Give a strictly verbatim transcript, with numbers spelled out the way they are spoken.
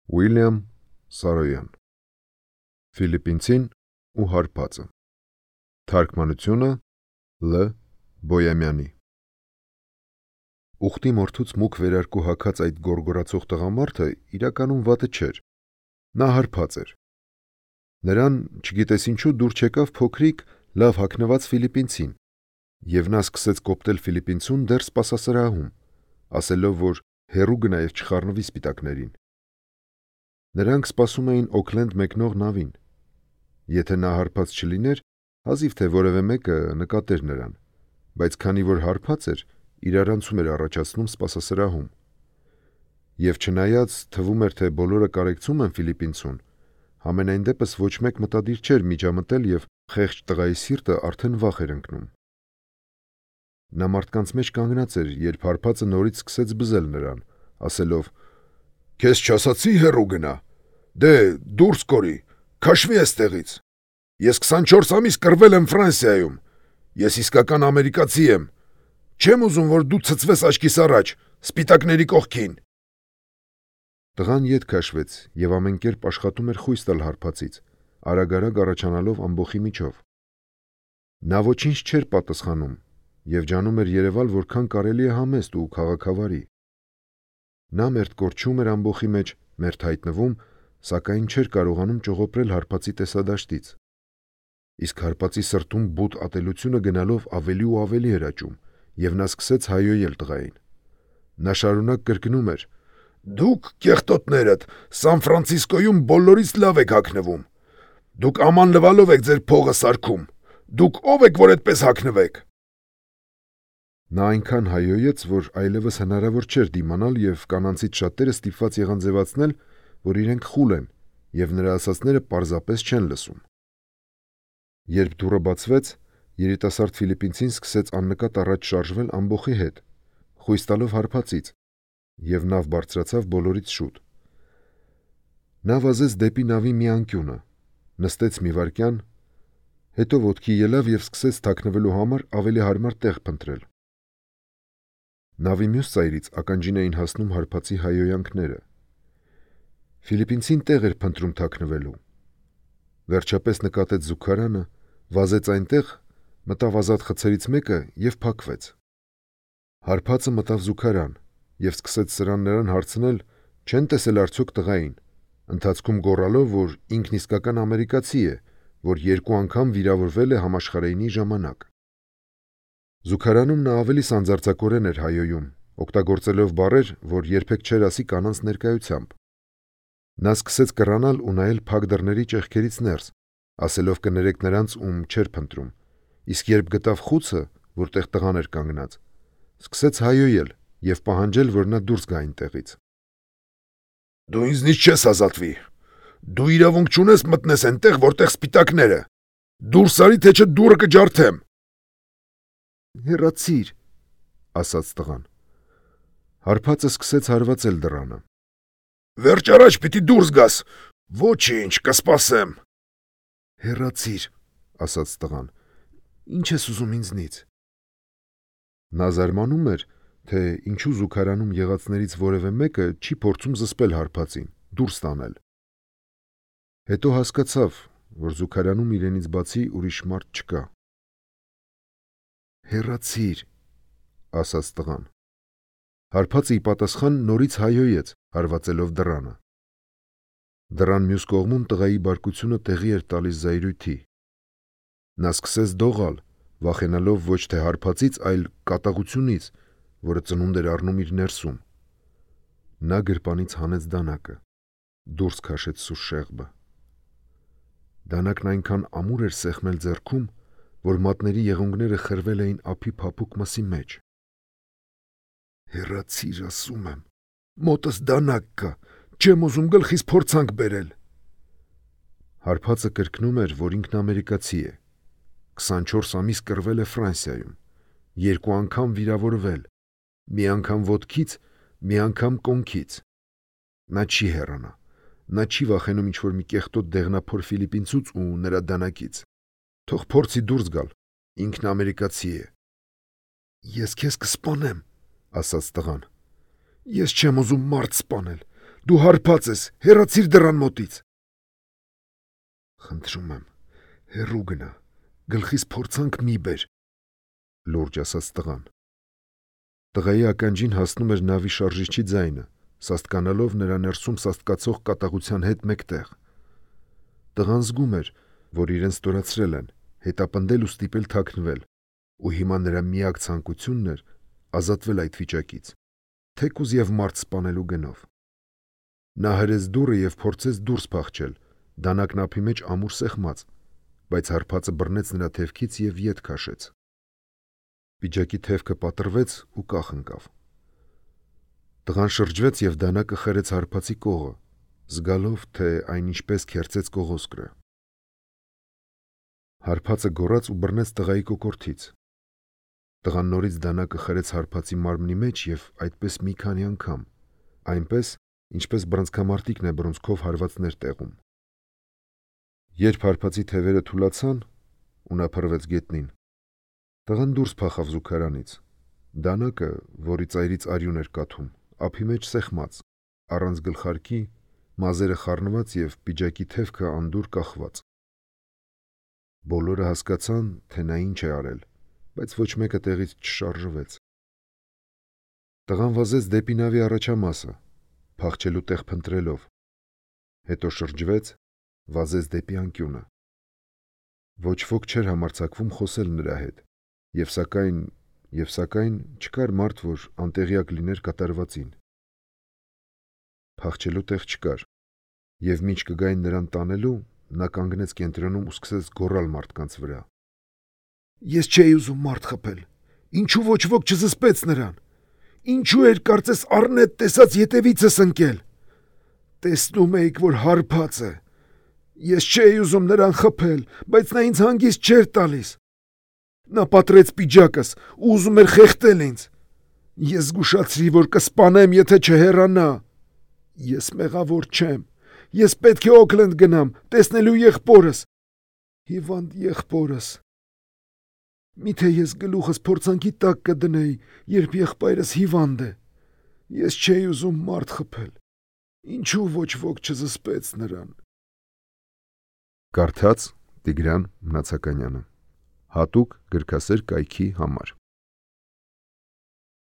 Ուիլյամ Սարոյան Ֆիլիպինցին ու հարբածը Թարգմանությունը Լ. Բոյամյանի Ուխտի մորթուց մուգ վերարկու հագած այդ գորգորացող տղամարդը իրականում վատը չէր, նա հարբած էր։ Նրան, չգիտես ինչու, դուր չեկավ փոքրիկ, լավ հագնված ֆիլիպինցին, և նա սկսեց կոպտել ֆիլիպինցուն դեռ սպասասրահում, ասելով, որ հեռու գնա և չխառնվի սպիտակներին։ Նրանք սպասում էին Օքլենդ մեկնող նավին։ Եթե նա հարբած չլիներ, հազիվ թե որևէ մեկը նկատեր նրան, բայց քանի որ հարբած էր, իրարանցում էր առաջացնում սպասասրահում։ Եվ չնայած թվում էր, թե բոլորը կարեկցում են ֆիլիպինցուն, համենայն դեպս ոչ մեկ մտադիր չէր միջամտել և խեղճ տղայի սիրտը արդեն վախ էր ընկնում։ Նա մարդկանց մեջ կանգնած էր, երբ հարբածը նորից սկսեց բզել նրան, ասելով. «Քեզ չասացի հեռու գնա, դե դուրս կորի, քաշվի էստեղից, ես քսանչորս ամիս կռվել եմ Ֆրանսիայում, ես իսկական ամերիկացի եմ, չեմ ուզում, որ դու ցցվես աչքիս առաջ, սպիտակների կողքին»։ Տղան ետ քաշվեց և ամեն կերպ աշխատում էր խույս տալ հարբածից, արագ-արագ առաջանալով ամբոխի միջով։ Նա ոչինչ չէր պատասխանում և ջանում էր երևալ որքան կարելի է համեստ ու քաղաքավարի։ Նա մերթ կորչում էր ամբոխի մեջ, մերթ հայտնվում, սակայն չէր կարողանում ճողոպրել հարբածի տեսադաշտից։ Իսկ հարբածի սրտում բութ ատելությունը գնալով ավելի ու ավելի էր աճում, և նա սկսեց հայհոյել տղային։ Նա շարունակ կրկնում էր. «Դուք, կեղտոտներդ, Սան Ֆրանցիսկոյում բոլորից լավ եք հագնվում, դուք աման լվալով եք ձեր փողը սարքում, դուք ո՞վ եք, որ այդպես հագնվեք»։ Նա այնքան հայհոյեց, որ այլևս հնարավոր չէր դիմանալ և կանանցից շատերը ստիպված եղան ձևացնել, որ իրենք խուլ են և նրա ասածները պարզապես չեն լսում։ Երբ դուռը բացվեց, երիտասարդ ֆիլիպինցին սկսեց աննկատ առաջ շարժվել ամբոխի հետ, խույս տալով հարբածից, և նավ բարձրացավ բոլորից շուտ։ Նա վազեց դեպի նավի մի անկյունը, նստեց մի վայրկյան, հետո ոտքի ելավ և սկսեց թաքնվելու համար ավելի հարմար տեղ փնտրել։ Նավի մյուս ծայրից ականջին էին հասնում հարբածի հայհոյանքները։ Ֆիլիպինցին տեղ էր փնտրում թաքնվելու։ Վերջապես նկատեց զուգարանը, վազեց այնտեղ, մտավ ազատ խցերից մեկը և փակվեց։ Հարբածը մտավ զուգարան և սկսեց սրան նրան հարցնել, չեն տեսել արդյոք տղային, ընթացքում գոռալով, որ ինքն իսկական ամերիկացի է, որ երկու անգամ վիրավորվել է համաշխարհայինի ժամանակ։ Զուգարանում նա ավելի սանձարձակորեն էր հայհոյում, օգտագործելով բառեր, որ երբեք չէր ասի կանանց ներկայությամբ։ Նա սկսեց կռանալ ու նայել փակ դռների ճեղքերից ներս, ասելով կներեք նրանց, ում չէր փնտրում, իսկ երբ գտավ խուցը, որտեղ տղան էր կանգնած, սկսեց հայհոյել և պահանջել, որ նա դուրս գա այնտեղից։ «Դու ինձնից չես ազատվի, դու իրավունք չունես մտնես այնտեղ, որտեղ սպիտակները, դուրս արի, թե չէ դուռը կջարդեմ»։ «Հեռացիր», ասաց տղան։ Հարբածը սկսեց հարվածել դռանը։ «Վերջ առաջ պիտի դուրս գաս, ոչինչ, կսպասեմ»։ «Հեռացիր», ասաց տղան, ի՞նչ ես ուզում ինձնից։ Նա զարմանում էր, թե ինչու զուգարանում եղածներից որևէ մեկը չի փորձում զսպել հարբածին, դուրս տանել։ Հետո հասկացավ, որ զուգարանում իրենից բացի ուրիշ մարդ չկա։ «Հեռացիր», ասաց տղան։ Հարբածը ի պատասխան նորից հայհոյեց, հարվածելով դռանը։ Դռան մյուս կողմում տղայի բարկությունը տեղի էր տալիս զայրույթի։ Նա սկսեց դողալ, վախենալով ոչ թե հարբածից, այլ կատաղությունից, որը ծնունդ էր առնում իր ներսում։ Նա գրպանից հանեց դանակը, դուրս քաշեց սուր շեղբը։ Դանակն այնքան ամուր էր սեղմել ձեռքում, որ մատների եղունգները խրվել էին ափի փափուկ մսի մեջ։ «Հեռացիր, ասում եմ, մոտս դանակ կա, չեմ ուզում գլխիս փորձանք բերել»։ Հարբածը կրկնում էր, որ ինքն ամերիկացի է, քսանչորս ամիս կռվել է Ֆրանսիայում, երկու անգամ վիրավորվել, մի անգամ ոտքից, մի անգամ կոնքից։ Նա չի հեռանա, նա չի վախենում ինչ-որ մի կեղտոտ դեղնափոր ֆիլիպինցուց ու նրա դանակից։ Թող փորձի դուրս գալ, ինքն ամերիկացի է։ «Ես քեզ կսպանեմ», ասաց տղան։ «Ես չեմ ուզում մարդ սպանել, Դու հարբած ես, հեռացիր դռան մոտից։ Խնդրում եմ, հեռու գնա, գլխիս փորձանք մի բեր, լուրջ ասաց տղան։ Տղայի ականջին հասնում էր նավի շարժիչի ձայնը, սաստկանալով նրա ներսում սաստկացող կատաղության հետ մեկտեղ։ Տղան զգում էր, որ իրեն ստորացրել են, հետապնդել ու ստիպել թաքնվել, ու հիմա նրա միակ ցանկությունն էր ազատվել այդ վիճակից, թեկուզ եւ մարդ սպանելու գնով։ Նա հրեց դուռը եւ փորձեց դուրս փախչել, դանակն ափի մեջ ամուր սեղմած, բայց հարբածը բռնեց նրա թևքից եւ ետ քաշեց։ Պիջակի թևքը պատռվեց ու կախ ընկավ։ Տղան շրջվեց եւ դանակը խրեց հարբածի կողը, զգալով, թե այն ինչպես քերծեց կողոսկրը։ Հարբածը գոռաց ու բռնեց տղայի կոկորդից։ Տղան նորից դանակը խրեց հարբածի մարմնի մեջ եւ այդպես մի քանի անգամ, այնպես, ինչպես բռնցքամարտիկն է բռունցքով հարվածներ տեղում։ Երբ հարբածի թևերը թուլացան ու նա փռվեց գետնին, տղան դուրս փախավ զուգարանից։ Դանակը, որի ծայրից արյուն էր կաթում, ափի մեջ սեղմած, առանց գլխարկի, մազերը խառնված եւ պիջակի թևքը անդուր կախված։ Բոլորը հասկացան, թե նա ինչ է արել, բայց ոչ մեկը տեղից չշարժվեց։ Տղան վազեց դեպի նավի առաջամասը, փախչելու տեղ փնտրելով, հետո շրջվեց, վազեց դեպի անկյունը։ Ոչ ոք չէր համարձակվում խոսել նրա հետ, եւ սակայն, եւ սակայն չկար մարդ, որ անտեղյակ լիներ կատարվածին։ Փախչելու տեղ չկար, եւ մինչ կգային նրան տանելու, նա կանգնեց կենտրոնում ու սկսեց գոռալ մարդկանց վրա։ Ես չէի ուզում մարդ խփել, ինչու ոչ ոք չզսպեց նրան, ինչու էր կարծես առնետ տեսած ետևիցս ընկել, տեսնում էիք, որ հարբած է, ես չէի ուզում նրան խփել, բայց նա ինձ հանգիստ չէր տալիս, նա պատռեց պիջակս ու ուզում էր խեղդել ինձ, ես զգուշացրի, որ կսպանեմ, եթե չհեռանա, ես մեղավոր չեմ, ես պետք է Օքլենդ գնամ, տեսնելու եղբորս, հիվանդ եղբորս, միթե ես գլուխս փորձանքի տակ կդնեի, երբ եղբայրս հիվանդ է, ես չէի ուզում մարդ խփել, ինչու ոչ ոք չզսպեց նրան։ Կարդաց Տիգրան Մնացականյանը, հատուկ գրքասեր կայքի համար։